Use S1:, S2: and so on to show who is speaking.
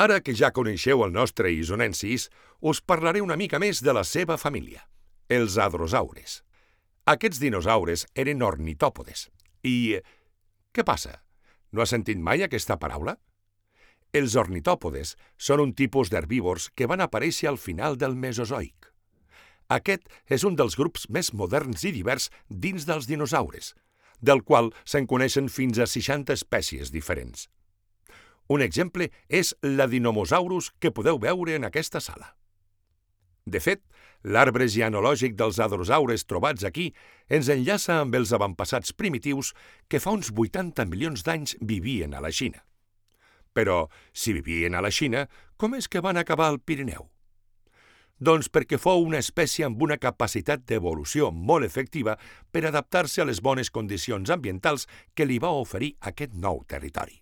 S1: Ara que ja coneixeu el nostre isonensis, us parlaré una mica més de la seva família, els hadrosaures. Aquests dinosaures eren ornitòpodes. I què passa? No has sentit mai aquesta paraula? Els ornitòpodes són un tipus d'herbívors que van aparèixer al final del Mesozoic. Aquest és un dels grups més moderns i divers dins dels dinosaures, del qual se'n coneixen fins a 60 espècies diferents. Un exemple és l'Adinomosaurus que podeu veure en aquesta sala. De fet, l'arbre genealògic dels hadrosaures trobats aquí ens enllaça amb els avantpassats primitius que fa uns 80 milions d'anys vivien a la Xina. Però, si vivien a la Xina, com és que van acabar al Pirineu? Doncs perquè fou una espècie amb una capacitat d'evolució molt efectiva per adaptar-se a les bones condicions ambientals que li va oferir aquest nou territori.